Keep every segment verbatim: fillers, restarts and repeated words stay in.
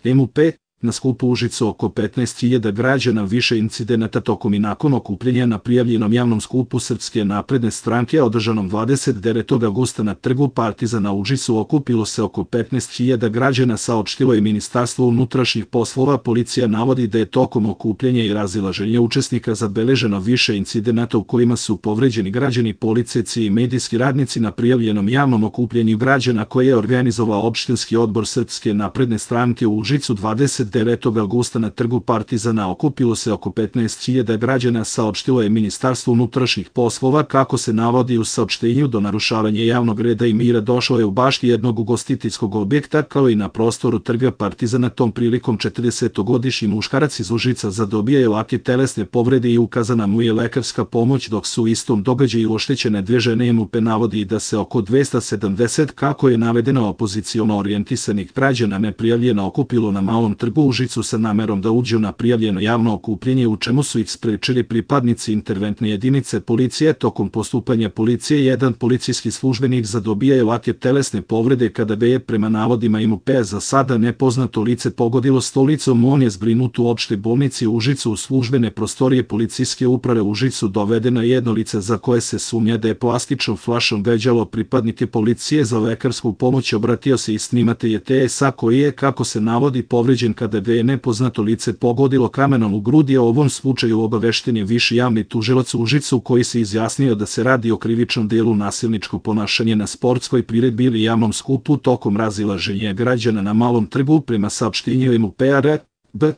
M U P, na skupu u Užicu oko petnaest hiljada građana, više incidenata tokom i nakon okupljanja na prijavljenom javnom skupu Srpske napredne stranke održanom dvadeset devetog avgusta na trgu Partizana u Užicu okupilo se oko petnaest hiljada građana, saopštilo je Ministarstvo unutrašnjih poslova. Policija navodi da je tokom okupljanja i razilaženja učesnika zabeleženo više incidenata u kojima su povređeni građani, policajci i medijski radnici. Na prijavljenom javnom okupljanju građana koje je organizovao opštinski odbor Srpske napredne stranke u Užicu dvadeset devetog avgusta na trgu Partizana okupilo se oko petnaest hiljada građana, saopštilo je Ministarstvo unutrašnjih poslova. Kako se navodi u saopštenju, do narušavanja javnog reda i mira došlo je u bašti jednog ugostiteljskog objekta kao i na prostoru trga Partizana. Tom prilikom četrdesetogodišnji muškarac iz Užica zadobio je lake telesne povrede i ukazana mu je lekarska pomoć, dok su u istom događaju oštećene dve žene. M U P navodi da se oko dvesta sedamdeset, kako je navedeno, opoziciono orijentisanih građana neprijavljeno okupilo na Malom trgu u Užicu sa namerom da uđu na prijavljeno javno okupljenje, u čemu su ih sprečili pripadnici interventne jedinice policije. Tokom postupanja policije jedan policijski službenik zadobio je lake telesne povrede kada ga je, prema navodima M U P, za sada nepoznato lice pogodilo stolicom. On je zbrinut u opštoj bolnici u Užicu. U službene prostorije policijske uprave u Užicu dovedeno je jedno lice za koje se sumnja da je plastičnom flašom gađalo pripadnike policije. Za lekarsku pomoć obratio se i snimatelj T S A koji je, kako se navodi, povređen kada ga je nepoznato lice pogodilo kamenom u grudi. O ovom slučaju obavešten je viši javni tužilac u Užicu, koji se izjasnio da se radi o krivičnom delu nasilničko ponašanje na sportskoj priredbi ili javnom skupu tokom razilaženja građana na Malom trgu. Prema saopštenju M U P A R B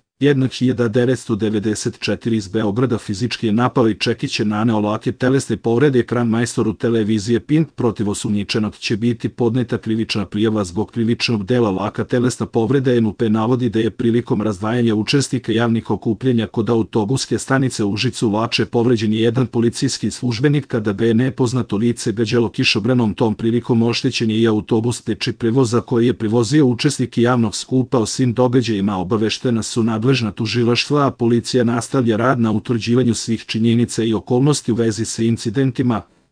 hiljadu devetsto devedeset četiri iz Beograda fizički je napao i Čekić je naneo lake telesne povrede ekran majstoru televizije Pink. Protiv osumnjičenog će biti podneta krivična prijava zbog krivičnog dela laka telesna povreda. M U P navodi da je prilikom razdvajanja učesnika javnih okupljanja kod autobuske stanice u Užicu Lače povređen je jedan policijski službenik kada ga je nepoznato lice gađalo kišobranom. Tom prilikom oštećen je i autobus teči prevoza koji je prevozio učesnike javnog skupa. O svim događajima obaveštena su nadležna tužilaštva, a policija nastavlja rad na utvrđivanju svih činjenica i okolnosti u vezi sa incidentima.